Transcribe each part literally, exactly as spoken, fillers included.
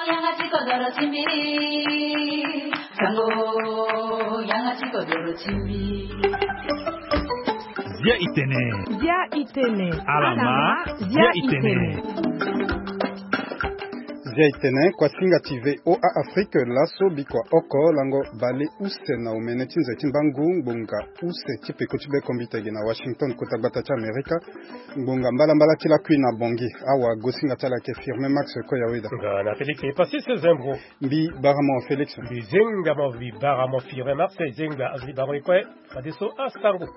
Yanga ti kodoro ti mbi. Sango, yanga ti kodoro ti mbi. Zia itene. Zia itene. Alama, zia itene. Zia itene, kuasinga ti V O A Afrique, laso bikua oko lango bale use na omene ti nze ti mbangu ngbonga use ti peko ti bekombite gi na Washington, kota gbata ti Amerika. Ngbonga mbalambala ti lakui na Bangui. Awa gosinga ti ala ayeke Firmin Max Koyaweda. Nga na Félix Epasis Zembro. Mbi bara mo Félix. Mbi zenga mo, mbi bara mo Firmin Max, zenga azo ti bara mo e kue. Fadeso asango.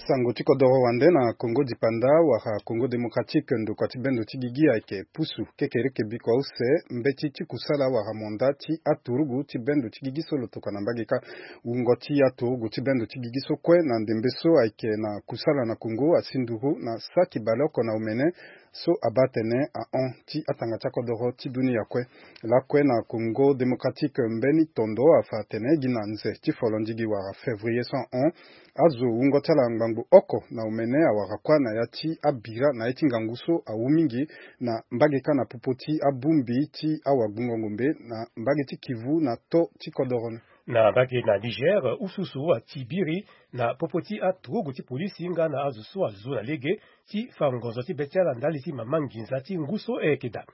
Sango ti kodoro wande na Congo dipanda wala Congo démocratique, ndokua ti bendo ti gigi ayeke pusu kekereke bikua use mbeti ti kusala wala manda ti aturugu ti bendo ti gigi so lo tokua na mbage kâ. Wungo ti aturugu ti bendo ti gigi so kue na ndembe so ayeke na kusala na Congo asi nduru na saki baleoko na omene so abaa atene ahon ti atanga ti akodoro ti dunia kue. Lakue na Congo démocratique, mbeni tondo afa atene gi na nze ti folondigi wala février so ahon, azo wungo ti ala ngbangbo oko na omene awara kuâ na ya ti abira na ye ti ngangu so awu mingi na mbage kâ na popo ti abongbi ti awagbungo ngombe na mbage ti Kivu na to ti kodoro ni. Na mbage na Niger, ususu ati biri na popo ti aturugu ti polisi nga na azo so azo na lege ti fa ngonzo ti be ti ala ndali ti mama nginza ti ngu so e yeke daa.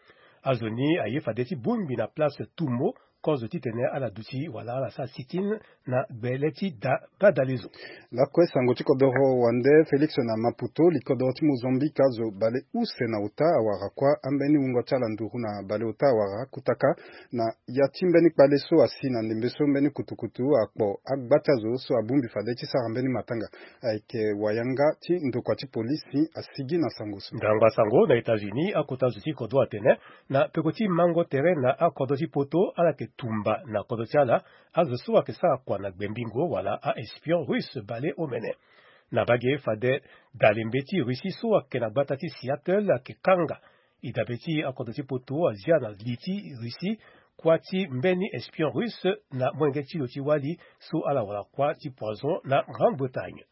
Azo ni aye fade ti bongbi na place Toumo, kozo titene ala duti wala ala sara sit-in na gbele ti da badalezo. Lakue sango ti kodoro wande Félix na Maputo, likodoro ti Mozambique, azo bale use na ota awara kuâ ambeni wungo ti ala nduru na bale ota awara kutaka na ya ti mbeni kpale so asi na ndembe so mbeni kutukutu akpo agba ti azo so abongbi fade ti sara mbeni matanga. Ayeke wayanga ti ndokua ti polisi asigi na sango so. Ndangba sango na États-Unis, akota zo ti kodro atene na peko ti mango tere na akodro ti poto ala yeke tumba na kodro ti ala azo so ayeke sara kua na gbembingo wala a-espion russe bale omene. Na mbage fade dalembe ti Russie so ayeke na gbata ti Seattle ayeke kanga. E dabe ti akodro ti poto azia na li ti Russie kuâ ti mbeni espion russe na molenge ti lo ti wali so ala wara kuâ ti poison na Grande-Bretagne.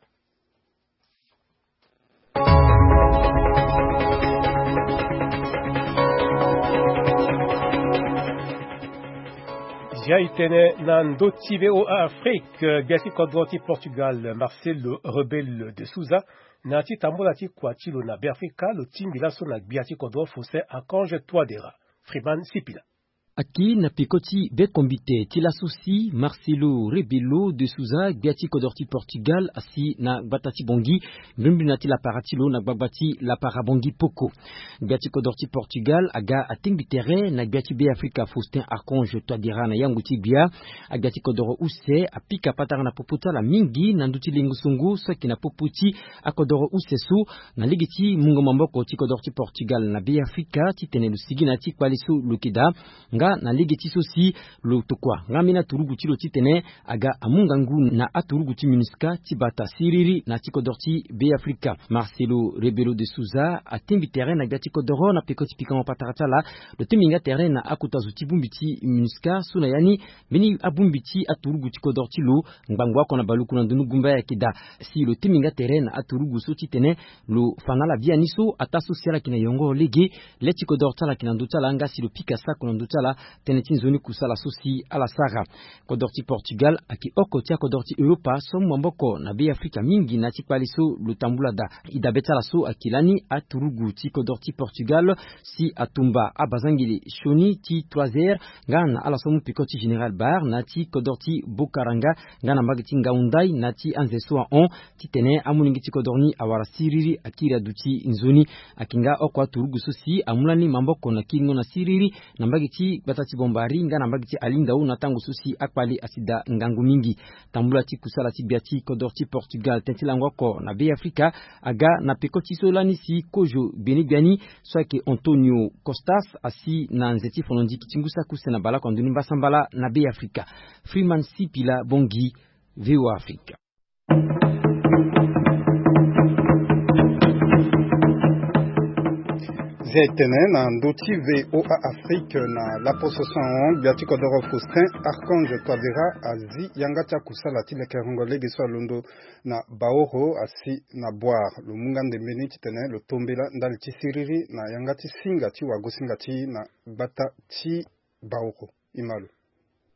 Zia itene na ndö ti V O A Afrique, gbia ti kodro ti Portugal Marcelo Rebelo de Sousa na ya ti tambula ti kua ti lo na Beafrika, lo tingbi laso na gbia ti kodro Faustin Archange Touadéra. Freeman Sipila. Aki na peko ti bekombite ti laso si Marcelo Rebelo de Sousa, gbia ti kodro ti Portugal, asi na gbata ti Bangui, mbrimbri na ti lapara ti lo na gbagba ti lapara Bangui poko. Gbia ti kodro ti Portugal aga atengbi tere na gbia ti Beafrika Faustin Archange Touadéra na yango ti gbia. Agbia ti kodro use apika patara na popo ti ala mingi na ndö ti lengo songo so ayeke na popo ti akodro use so, na lege ti mungo maboko ti kodro ti Portugal na Beafrika titene lo sigi na ya ti kpale so lo yeke daa. Nga na lege ti so si lo tokua nga mbeni aturugu ti lo titene aga amu ngangu na aturugu ti MINUSCA ti bata siriri na ya ti kodro ti Beafrika. Marcelo Rebelo de Sousa atengbi tere na gbia ti kodro na peko ti pikango patara ti ala. Lo tengbi nga tere na akota zo ti bongbi ti MINUSCA so na ya ni mbeni abongbi ti aturugu ti kodro ti lo ngbangbo oko na baluku na ndonu gumba ayeke daa. Si lo tengbi nga tere na aturugu so titene lo fa na ala biani so ataa so si ala yeke na yongoro lege, le ti kodro ti ala yeke na ndö ti ala nga si lo pika sako na ndö ti ala tënë ti nzoni kusala so si ala sara. Kodro ti Portugal ayeke oko ti akodro ti Europa so amu maboko na Beafrika mingi na ya ti kpale so lo tambula daa. E dabe ti ala so ayeke lani aturugu ti kodro ti Portugal si atumba abazangele sioni ti trois heures nga na ala so amu peko ti Général Bar na ya ti kodro ti Bokaranga nga na mbage ti Ngaoundai na ya ti anze so ahon, titene amolenge ti kodro ni awara siriri akiri aduti nzoni. Ayeke nga oko aturugu so si amu lani maboko na kiringo na siriri na mbage ti gbata ti Bombari nga na mbage ti Alingao na tango so si akpale asi daa ngangu mingi. Tambula ti kusala ti gbia ti kodro ti Portugal tënë ti lango oko na Beafrika aga na peko ti so lani si kozo gbeni gbia ni so ayeke Antonio Costas asi na nze ti fono ndiki ti ngu saki use na baleoko na ndoni mbasambala na Beafrika. Freeman Sipila Bongi, V O A Afrique. Zia etene na ndö ti V O A Afrique na laposo so ahon, gbia ti kodoro Faustin Archange Touadéra azi yanga ti akusala ti lekerengo lege so alondo na Baoro asi na Bouar. Lo mu nga ndembe ni titene lo tombela ndali ti siriri na yanga ti singa ti wagosinga ti na gbata ti Baoro. Imalo.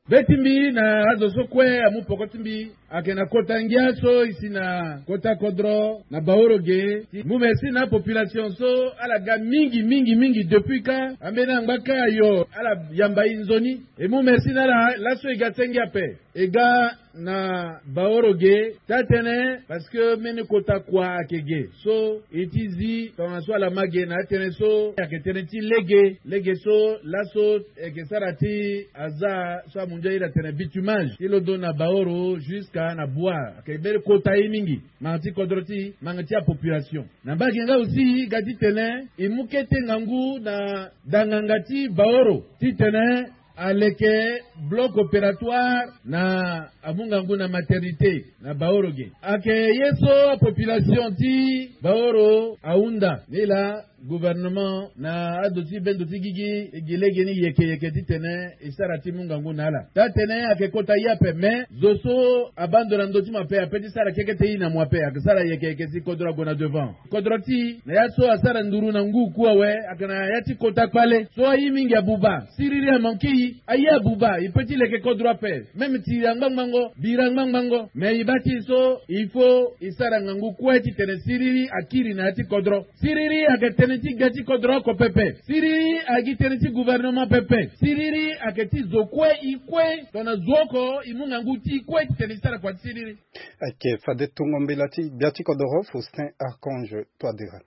Be ti mbi na azo so kue amu poko ti mbi ayeke na kota ngia so e si na kota kodro na Baoro ge. Ti mu merci na apopulation so ala ga mingi mingi mingi depuis ka ambeni angba ka ayo ala yamba e nzoni. E mu merci na ala laso e ga senge ape. E ga na Baoro ge taa tënë parce que mbeni kota kua ayeke ge so e ti zi tongana so ala ma ge na atënë so ayeke tënë ti lege. Lege so laso e yeke sara ti aza so amunzu airi atene bitumage ti londo na Baoro jusqu'à na Bouar ayeke mbeni kota ye mingi. Manga ti kodro ti manga ti apopulation na mbage nga aussi ga titene e mu kete ngangu na danganga ti Baoro titene aleke bloc opératoire na amu ngangu na maternité na Baoro ge. Ayeke ye so apopulation ti Baoro ahunda ni laa gouvernement na ado ti bendo ti gigi e gi lege ni yeke yeke titene e sara ti mu ngangu na ala. Taa tënë ayeke kota ye ape me zo so abaa ndo na ndö ti mo ape ape ti sara keke te e na mo ape ayeke sara yeke yeke si kodro ague na devant. Kodro ti na ya so asara nduru na ngu ku awe ayeke na ya ti kota kpale so aye mingi abuba. Siriri amanke e aye abuba e pe ti leke kodro ape. Même tiri angbangbango bira angbangbango me e baa ti e so il faut e sara ngangu kue titene siriri akiri na ya ti kodro. Siriri ayeke tënë ti gbia ti kodro oko pepe. Siriri ayeke tënë ti gouvernement pepe. Siriri ayeke ti zo kue e kue tongana zo oko e mu ngangu ti e kue titene e sara kua ti siriri. Ayeke fade tongo mbela ti gbia ti kodoro Faustin Archange Touadéra.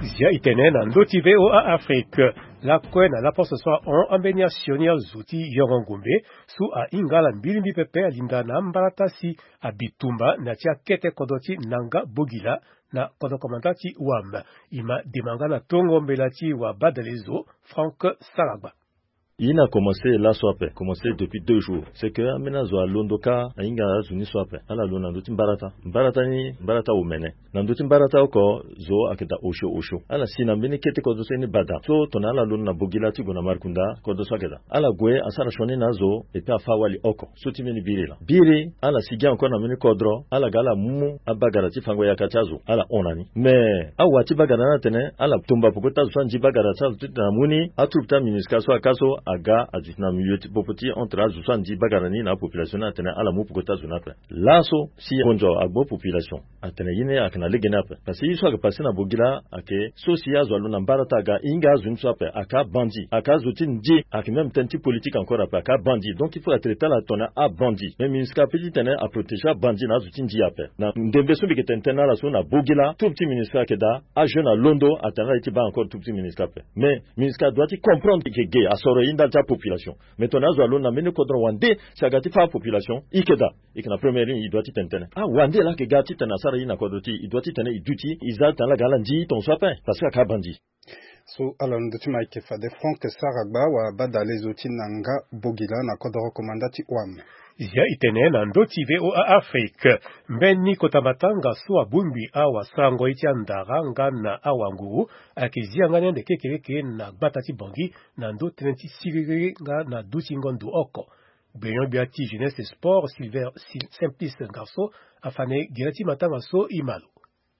Zia e tene na ndö ti V O A Afrique. Lakue na laposo so ahon ambeni asioni azo ti yongo ngombe so ahinga ala mbirimbi pepe alinda na ambalata si abitumba na ti akete kodro ti Nanga Bogila na kodro komanda ti Wam. E ma dema nga na tongo mbela ti wabadale zo Franck Saragba. Ye ni akomanse laso ape, komanse depuis deux jours. C'est que ambeni azo alondo kâ ahinga azo ni so ape. Ala londo na ndö ti mbarata. Mbarata ni mbarata omene. Na ndö ti mbarata oko zo ayeke daa osio osio. Ala si na mbeni kete kodro so ye ni bada so tongana ala londo na Bogila ti gue na Markunda kodro so ayeke daa. Ala gue asara sioni na azo et puis afa wali oko so ti mbeni biri laa. Biri ala si ge encore na mbeni kodro ala ga ala mu abagara ti fango yaka ti azo ala hon na ni. Mais awa ti bagara ni atene ala tomba peko ti azo so anzi bagara ti azo titene amu ni atroupe ti aMINUSCA so aka so aga aduti na milieu ti popo ti entre azo so anzi bagara ni na apopulation ni atene ala mu peko ti azo ni ape. Laso si konzo agbo population atene ye ni ayeke na lege ni ape. Parce que ye so ayeke passé na Bogila ayeke so si azo alondo na mbarata aga e hinga azo ni so ape aka abandi aka azo ti nzi ayeke même tënë ti politique encore ape aka abandi. Donc il faut atraité ala tongana abandi. Mais MINUSCA ape titene aprotégé abandi na azo ti nzi ape. Na ndembe so mbi yeke tene tënë na ala so na Bogila troupe ti MINUSCA ayeke daa ajeune alondo atene ala ye ti baa encore troupe ti MINUSCA ape. Mais MINUSCA adoit ti comprendre e yeke ge asoro ye ndali ti apopulation. Mais tongana azo alondo na mbeni kodro wande si aga ti fâ apopulation e yeke daa. E yeke na première ligne e doit ti tene tënë. Awande laa ayeke ga titene asara ye na kodro ti e e doit titene e duti e za tongana ala ga ala nzi tongaso ape. Parce que aka abandi. So ala na ndö ti mo ayeke fade Franck Saragba wabadale zo ti Nanga Bogila na kodoro komanda ti Wam. Zia e tene na ndö ti V O A Afrique. Mbeni kota matanga so abongbi awasarango ye ti andara nga na awanguru ayeke zi yanga ni ande kekereke na gbata ti Bangui na ndö tënë ti siriri nga na dutingo ndo oko. Gbenyo-gbia ti Jeunesse et Sport Silver Sil- Simplice Ngarso afa na e gere ti matanga so e ma lo.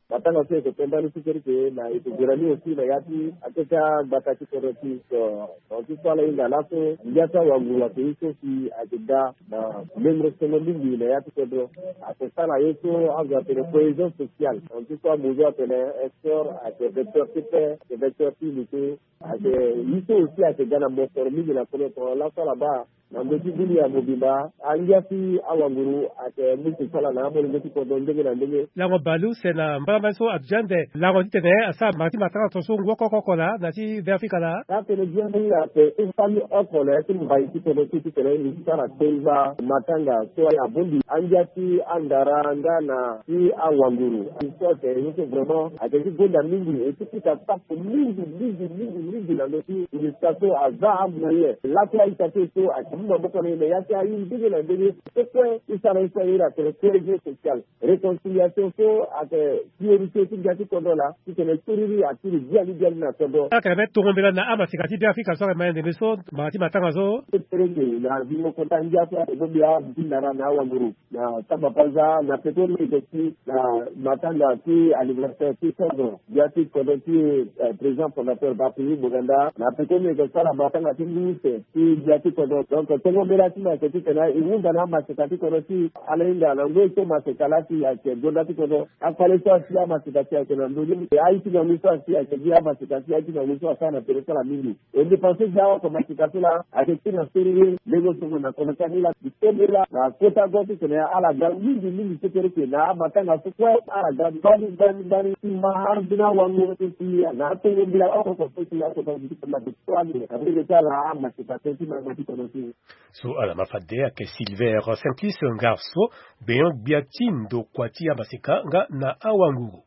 Matanga so e yeke pe mbani kekereke na e yeke gere ni aussi na ya ti akete agbata ti kodro ti so. Donc ti so ala hinga laso ngia so awanguru ayeke ye so si ayeke ga na lengoro songo mingi na ya ti kodro. Ayeke sara ye so azo atene cohésion sociale. Donc ti so amozo atene sport ayeke vecteur ti paix, ayeke vecteur ti unité. Ayeke ye so aussi ayeke ga na mosoro mingi na kolo tongana laso ala baa na ndö ti bini ya mobimba angia ti awanguru ayeke mu kusala na amolenge ti kodro ndenge na ndenge. Lango bale use na mbara mbani so aduti ande lango titene asara mbara ti matanga tongaso ngu oko oko laa na ti Be Afrika laa. Atene biani ape ti fami oko na ya ti mbai ti kodro ti titene e sara tengba matanga so abongbi angia ti andara nga na ti awanguru. So ayeke ye so vraiment ayeke ti gonda mingi e ti pika safu mingi mingi mingi mingi na ndö ti MINUSCA so aza amoyen lakue aita so so ayeke Maboko na e na ya ti aye ndenge na ndenge so kue ti sara ye so aye na tene cohésion sociale, réconciliation so ayeke priorité ti gbia ti kodro laa. Titene soriri akiri biani biani na kodro. Ayeke na be tongo mbela na amaseka ti Beafrika so ayeke ma ya ndembe so mbanga ti matanga so. Tere ke na zingo kota ngia so ayeke bongbi abuti ndara na awanguru na taba paza na peko ni yeke ti na matanga ti anniversaire ti cent ans gbia ti kodro ti, eh, président fondateur Bakuyi Boganda. Na peko ni yeke sara matanga ti ngu use ti gbia ti kodro. Donc tongo mbela ti mo ayeke titene e hunda na amaseka ti kodro ti ala hinga na ngoi so maseka laa si ayeke gonda ti kodro. Akpale so asi amaseka si ayeke na ndö ni, e aye ti ngangu so asi ayeke gi amaseka si aye ti ngangu so asara na tere so ala mingi. E dépense ti awa komasika so laa ayeke ti na siriri lego songo na kono ti ani laa. Ti tene laa na kota go titene ala ga mingi mingi so kere ke na amatanga so kue ala ga gbani gbani gbani ti ma ambeni awango so si na atongo mbila oko so si akota ti tene na be so ani na be ti ala amasika so ti na be ti kono ti. So ala ma fade ayeke Silver Simplice Ngarso, gbenyo-gbia ti ndokua ti amaseka nga na awanguru.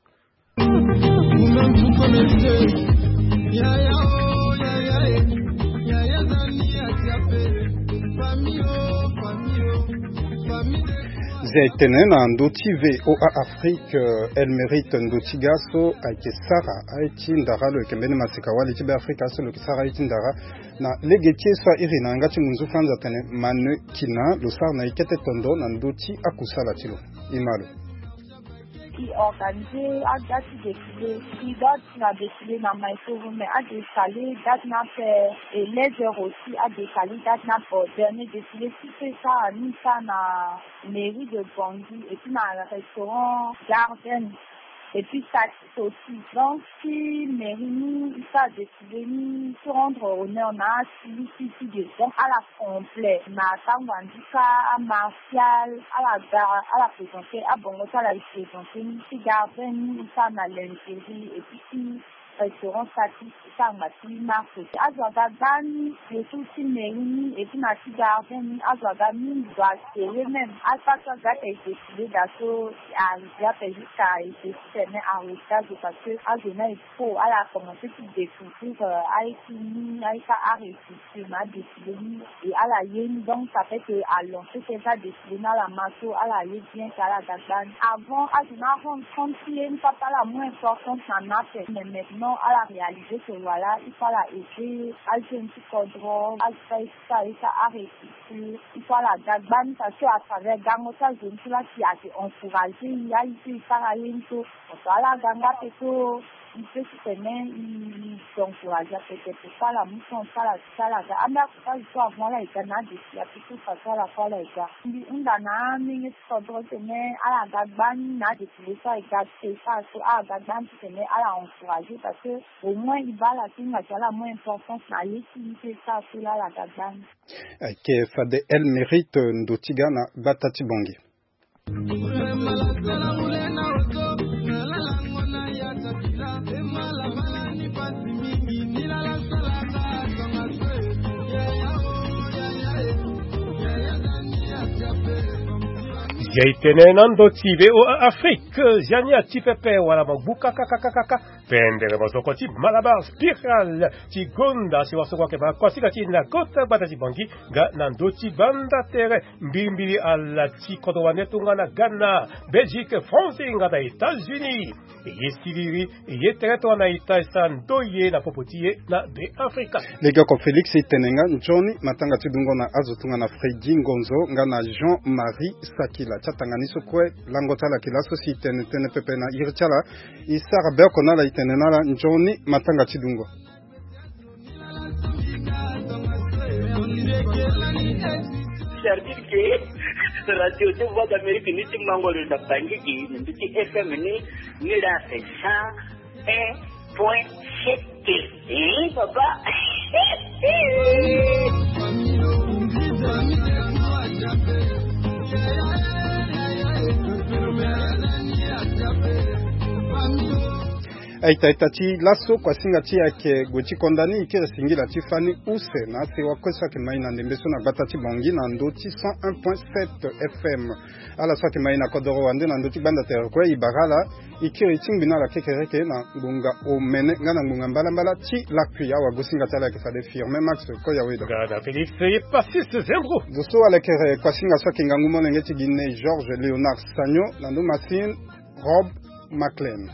Zia e tene na ndö ti V O A Afrique, euh, El Mérite ndo ti ga so ayeke sara aye ti ndara, lo yeke mbeni maseka wali ti Beafrika so lo yeke sara aye ti ndara. Na lege ti ye so a iri na yanga ti ngunzu Franz atene Manu Kina, lo sara na e kete tondo na ndö ti akusala ti lo. E ma lo. I organiser aga ti défilé. I ga ti na défilé na Maïkovo, mais a décalé date ni ape, et les heures aussi a décalé date ni ape. Dernier défilé ti fait ça, ni sara na mairie de Bangui et puis na restaurant Garden. Et puis ça aussi. Donc si mairie ni i sara défilé ni, ti rendre honneur na si, si, si, donc ala complet na tango andi ka, amartial, ala ga, ala présenter abongo ti ala, e présenter ni ti Garden ni, i sara na Lingerie et puis ti restaurant Satis, i sara ngba ti marché. Azo aga gbani, surtout ti mairie ni et puis na ti Garden ni azo aga mingi, doit serrer même. Afa so aga ti e défilé daa so, arrivé ape jusqu'à e défilé tene arrêté azo parce que azo ni e faux, ala commencer ti découvrir, euh, aye ti ni, aye ti arestitue na adéfilé ni. Et ala ye ni, donc ça fait que a lancer ti adéfilé ni, ala ma so ala ye bien que ala ga gbani. Avant azo ni arendre compte ti ye ni, papa ala mu importance na ni ape, mais maintenant ala réaliser que voilà, il faut ala aider ajeune ti kodro, azo ti aye ti arestitue. Il faut ala ga gbani parce que à travers gango ti azo ni so laa si ayeke encourager i, aye so i sara ye ni so. Parce que ala ga nga ape so i peut titene i encourager ape, c'est pourquoi ala mu temps ti ala ti ala ga. Ambeni akota zo so avant ala e ga na adéfilé ape so, façon ala so ala e ga. Mbi hunda na amenge ti kodro titene ala ga gbani na adéfilé so ala e ga, ti e sara so ala ga gbani titene ala encourager parce que au moins i baa ala so hinga si ala mu importance na ye ti i, ti e sara so laa ala ga gbani. Ayeke fade El Mérite ndo ti ga na gbata ti Bangui. Ya e tene na ndo ti V O A Afrique, zia ni ati pepe wala magbu kakakakaka. Pendere mosoko ti Malabar Spiral ti gonda si wasoko ayeke baa kuasika ti na kota gbata ti Bangui nga na ndö ti banda tere. Mbilimbili ala ti kodro wande tongana Ghana, Belgique, France nga na États-Unis. E ye siriri, e ye tere tongana ita e sara ndoye na popo ti e na Beafrika. Legeoko Félix e tene nga nzoni matanga ti dungo na azo tongana Freddy Ngonzo nga na Jean-Marie Sakila. Ti atanga ni so kue lango ti ala yeke laso si e tene tënë pepe na iri ti ala. E sara be oko na ala, e tene na ala nzoni matanga ti dungo. Service ke radio ti Voix d'Amérique ni ti mango lo na Bangui gi na mbi ti F M ni, ni la cent un point sept. Eh, papa. Aita aita ti laso, kuasinga ti ayeke gue ti konda ni, e kiri singila ti fani use na asewa kue so ayeke mai na ndembe so na gbata ti Bangui na ndö ti cent un point sept F M. Ala so ayeke mai na kodoro wande na ndö ti gbanda tere kue, e bara ala, e kiri ti ngbi na ala kekereke na ngbonga omene nga na ngbonga mbalambala ti lakui. Awagosinga ti ala ayeke fade Firmin Max Koyaweda. Gada Félix Epasis Zengro. Zo so alekere kuasinga so ayeke ngangu molenge ti Guinée, Georges Léonard Sagno, na ndö Martine Rob McLean.